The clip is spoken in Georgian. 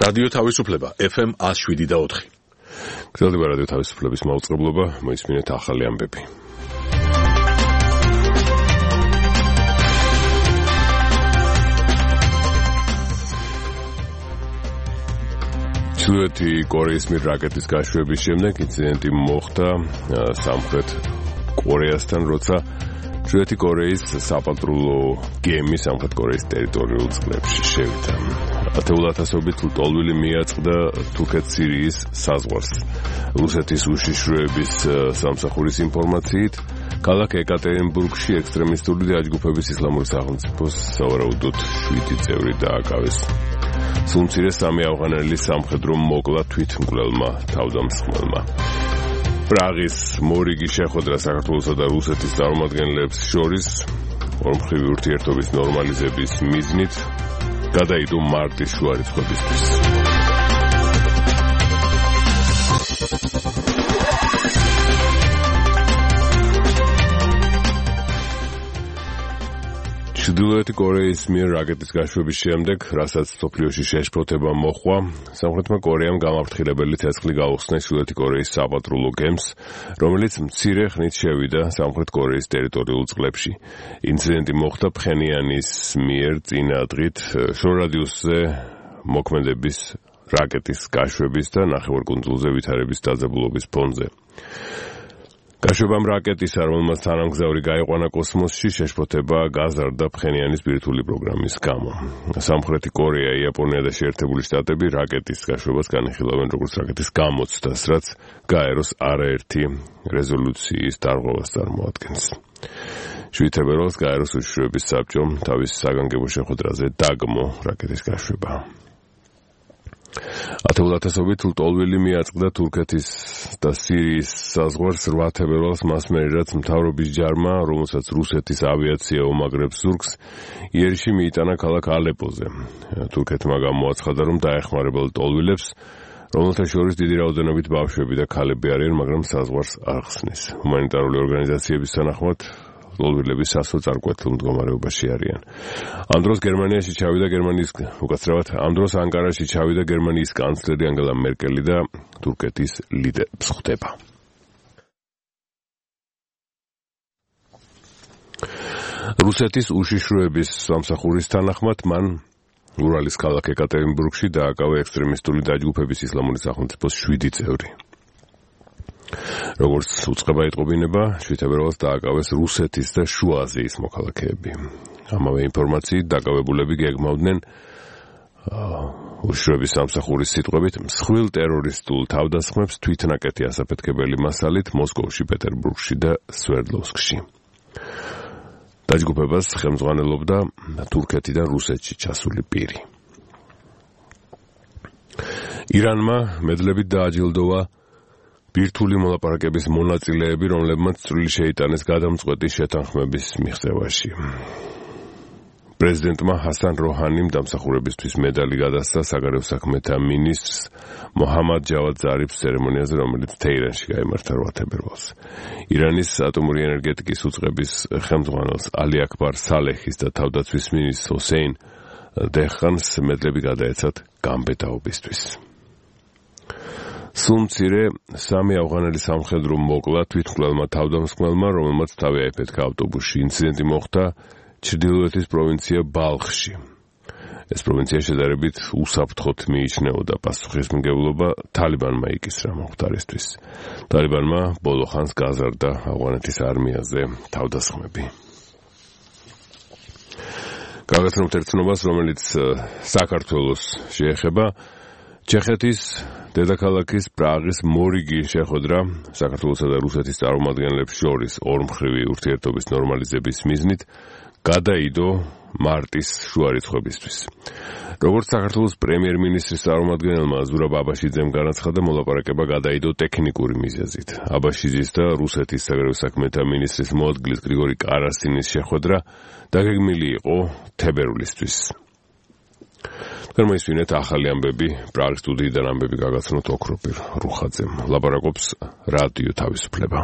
რადიო თავისუფლება FM 107.4. გრძელდება რადიო თავისუფლების მაუწყებლობა, მოისმინეთ ახალი ამბები. ჩრდილოეთი კორეის მიერ რაკეტის გაშვების შემდეგ ინციდენტი მოხდა სამხრეთ კორეასთან, როცა ჩრდილოეთი კორეის საპატრულო გემი სამხრეთ კორეის ტერიტორიულ წყლებში შევიდა. ათეულათასობით ლტოლვილი მიაწყდა თურქეთ-სირიის საზღვარს. რუსეთის უშიშროების სამსახურის ინფორმაციით, ქალაქ ეკატერინბურგში ექსტრემისტული დაჯგუფების ისლამური სახელმწიფოს სავარაუდოდ 7 წევრი დააკავეს. სულ მცირე 3 ავღანელი სამხედრო მოკლა თვითმკვლელმა თავდამსხმელმა. პრაღის მორიგი შეხვედრა საქართველოსა და რუსეთის წარმომადგენლებს შორის ორმხრივი ურთიერთობის ნორმალიზების მიზნით გადაიდო მარტის შუა რიცხვებისთვის. ჩრდილოეთი კორეის მიერ რაკეტის გაშვების შემდეგ, რასაც მსოფლიოში შეშფოთება მოჰყვა, სამხრეთმა კორეამ გამაფრთხილებელი ცეცხლი გაუხსნა ჩრდილოეთი კორეის საპატრულო გემს, რომელიც მცირე ხნით შევიდა სამხრეთ კორეის ტერიტორიულ წყლებში. ინციდენტი მოხდა ფხენიანის მიერ წინა დღით შორადიუსზე მოქმედების რაკეტის გაშვების და ნახევარკუნძულზე ვითარების დაძაბულობის ფონზე. გაშვებამ რაკეტისა, რომელმაც თანამგზავრი გაიყვანა კოსმოსში, შეშფოთება გაზარდა ფხენიანის ბირთვული პროგრამის გამო. სამხრეთი კორეა, იაპონია და შეერთებული შტატები რაკეტის გაშვებას განიხილავენ როგორც რაკეტის გამოცდას, რაც გაეროს არაერთი რეზოლუციის დარღვევას წარმოადგენს. 7 თებერვალს გაეროს უშიშროების საბჭომ თავის საგანგებო შეხვედრაზე დაგმო რაკეტის გაშვება. ათეულათასობით ლტოლვილი მიაწყდა თურქეთის და სირიის საზღვარს 8 თებერვალს მას მერე, რაც მთავრობის ჯარმა, რომელსაც რუსეთის ავიაცია უმაგრებს ზურგს, იერიში მიიტანა ქალაქ ალეპოზე. თურქეთმა გამოაცხადა, რომ დაეხმარება ლტოლვილებს, რომელთა შორის დიდი რაოდენობით ბავშვები და ქალები არიან, მაგრამ საზღვარს არ ხსნის. ჰუმანიტარული ორგანიზაციების თანახმად ლტოლვილები სასოწარკვეთილ მდგომარეობაში არიან. ამ დროს გერმანიაში ჩავიდა ამ დროს ანკარაში ჩავიდა გერმანიის კანცლერი ანგელა მერკელი და თურქეთის ლიდერს ხვდება. რუსეთის უშიშროების სამსახურის თანახმად მან ურალის ქალაქ ეკატერინბურგში დააკავა ექსტრემისტული დაჯგუფების ისლამური სახელმწიფოს 7 წევრი. როგორც უწყება იტყობინება, 7 თებერვალს დააკავეს რუსეთის და შუა აზიის მოქალაქეები. ამავე ინფორმაციით დაკავებულები გეგმავდნენ უშიშროების სამსახურის სიტყვებით მსხვილ ტერორისტულ თავდასხმებს თვითნაკეთი ასაფეთქებელი მასალით მოსკოვში, პეტერბურგში და სვერდლოვსკში. დაჯგუფებას ხელმძღვანელობდა თურქეთიდან რუსეთში ჩასული პირი. ირანმა მედლებით დააჯილდოვა ბირთვული მოლაპარაკების მონაწილეები, რომლებმაც წვლილი შეიტანეს გადამწყვეტი შეთანხმების მიღწევაში. პრეზიდენტმა ჰასან როჰანიმ დამსახურებისთვის მედალი გადასცა საგარეო საქმეთა მინისტრს მოჰამად ჯავად ზარიფს ცერემონიაზე, რომელიც თეირანში გაიმართა 8 თებერვალს. ირანის ატომური ენერგეტიკის უწყების ხელმძღვანელს ალი აკბარ სალეჰის და თავდაცვის მინისტრს ჰოსეინ დეჰყანს მედლები გადაეცათ გამბედაობისთვის. სულ მცირე 3 ავღანელი სამხედრო მოკლა თვითმკვლელმა თავდამსხმელმა, რომელმაც თავი აიფეთქა ავტობუსში. ინციდენტი მოხდა ჩრდილოეთის პროვინცია ბალხში. ეს პროვინცია შედარებით უსაფრთხოდ მიიჩნეოდა. პასუხისმგებლობა თალიბანმა იკისრა მომხდარისთვის. თალიბანმა ბოლო ხანს გაზარდა ავღანეთის არმიაზე თავდასხმები. გაგაცნობთ ერთ ცნობას, რომელიც საქართველოს შეეხება. ჩეხეთის დედაქალაქის პრაღის მორიგი შეხვედრა საქართველოსა და რუსეთის წარმომადგენლებს შორის ორმხრივი ურთიერთობის ნორმალიზების მიზნით გადაიდო მარტის შუა რიცხვებისთვის. როგორც საქართველოს პრემიერ-მინისტრის წარმომადგენელმა ზურაბ აბაშიძემ განაცხადა, მოლაპარაკება გადაიდო ტექნიკური მიზეზით. აბაშიძის და რუსეთის საგარეო საქმეთა მინისტრის მოადგილის გრიგორი კარასინის შეხვედრა დაგეგმილი იყო თებერვლისთვის. მოისმინეთ ახალი ამბები, პრაღის სტუდიიდან ამბები გაგაცნოთ ოქროპირ რუხაძემ. ლაპარაკობს რადიო თავისუფლება.